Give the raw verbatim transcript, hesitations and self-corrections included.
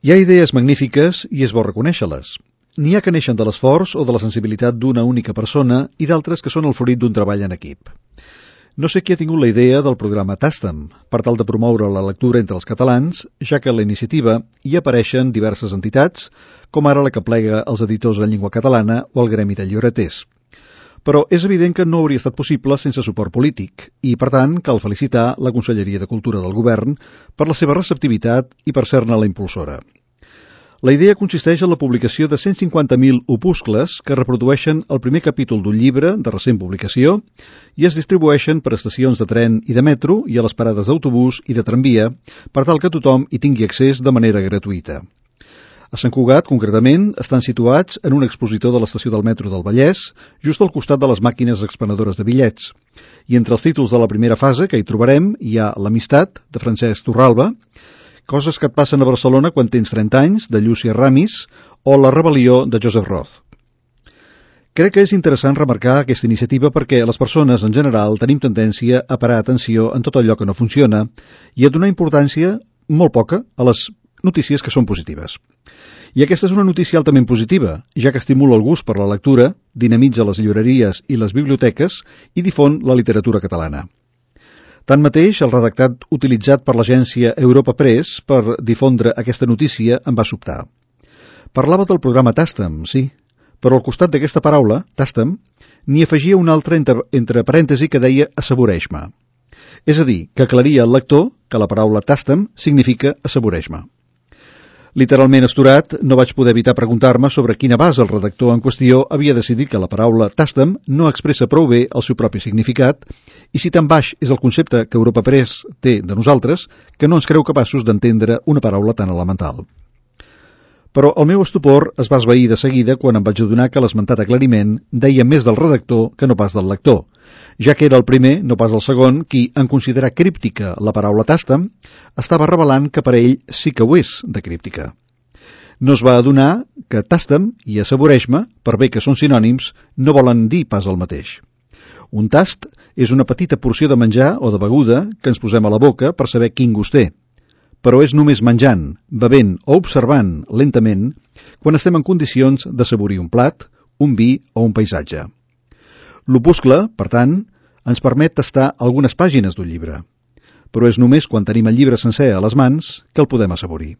Hi ha idees magnífiques i és bo reconèixer-les. N'hi ha que neixen de l'esforç o de la sensibilitat d'una única persona i d'altres que són el fruit d'un treball en equip. No sé qui ha tingut la idea del programa Tastem, per tal de promoure la lectura entre els catalans, ja que a la iniciativa hi apareixen diverses entitats, com ara la que plega els editors en llengua catalana o el Gremi de Llibreters. Però és evident que no hauria estat possible sense suport polític i, per tant, cal felicitar la Conselleria de Cultura del Govern per la seva receptivitat i per ser-ne la impulsora. La idea consisteix en la publicació de cent cinquanta mil opuscles que reprodueixen el primer capítol d'un llibre de recent publicació i es distribueixen per estacions de tren i de metro i a les parades d'autobús i de tramvia per tal que tothom hi tingui accés de manera gratuïta. A Sant Cugat, concretament, estan situats en un expositor de l'estació del metro del Vallès, just al costat de les màquines expenedores de bitllets. I entre els títols de la primera fase que hi trobarem hi ha L'amistat, de Francesc Torralba, Coses que et passen a Barcelona quan tens trenta anys, de Llúcia Ramis, o La rebel·lió, de Joseph Roth. Crec que és interessant remarcar aquesta iniciativa perquè les persones, en general, tenim tendència a parar atenció en tot allò que no funciona i a donar importància, molt poca, a les notícies que són positives. I aquesta és una notícia altament positiva, ja que estimula el gust per la lectura, dinamitza les llibreries i les biblioteques i difon la literatura catalana. Tanmateix, el redactat utilitzat per l'agència Europa Press per difondre aquesta notícia em va sobtar. Parlava del programa Tastem, sí, però al costat d'aquesta paraula, Tastem, n'hi afegia una altra entre, entre parèntesi que deia assaboreix-me. És a dir, que aclaria al lector que la paraula Tastem significa assaboreix-me. Literalment asturat, no vaig poder evitar preguntar-me sobre quina base el redactor en qüestió havia decidit que la paraula Tastem no expressa prou bé el seu propi significat i si tan baix és el concepte que Europa Press té de nosaltres que no ens creu capaços d'entendre una paraula tan elemental. Però el meu estupor es va esvair de seguida quan em vaig adonar que l'esmentat aclariment deia més del redactor que no pas del lector, ja que era el primer, no pas el segon, qui, en considerar críptica la paraula Tastem, estava revelant que per a ell sí que ho és de críptica. No es va adonar que Tastem i assaboreix-me, per bé que són sinònims, no volen dir pas el mateix. Un tast és una petita porció de menjar o de beguda que ens posem a la boca per saber quin gust té, però és només menjant, bevent o observant lentament quan estem en condicions d'assaborir un plat, un vi o un paisatge. L'opuscle, per tant, ens permet tastar algunes pàgines d'un llibre, però és només quan tenim el llibre sencer a les mans que el podem assaborir.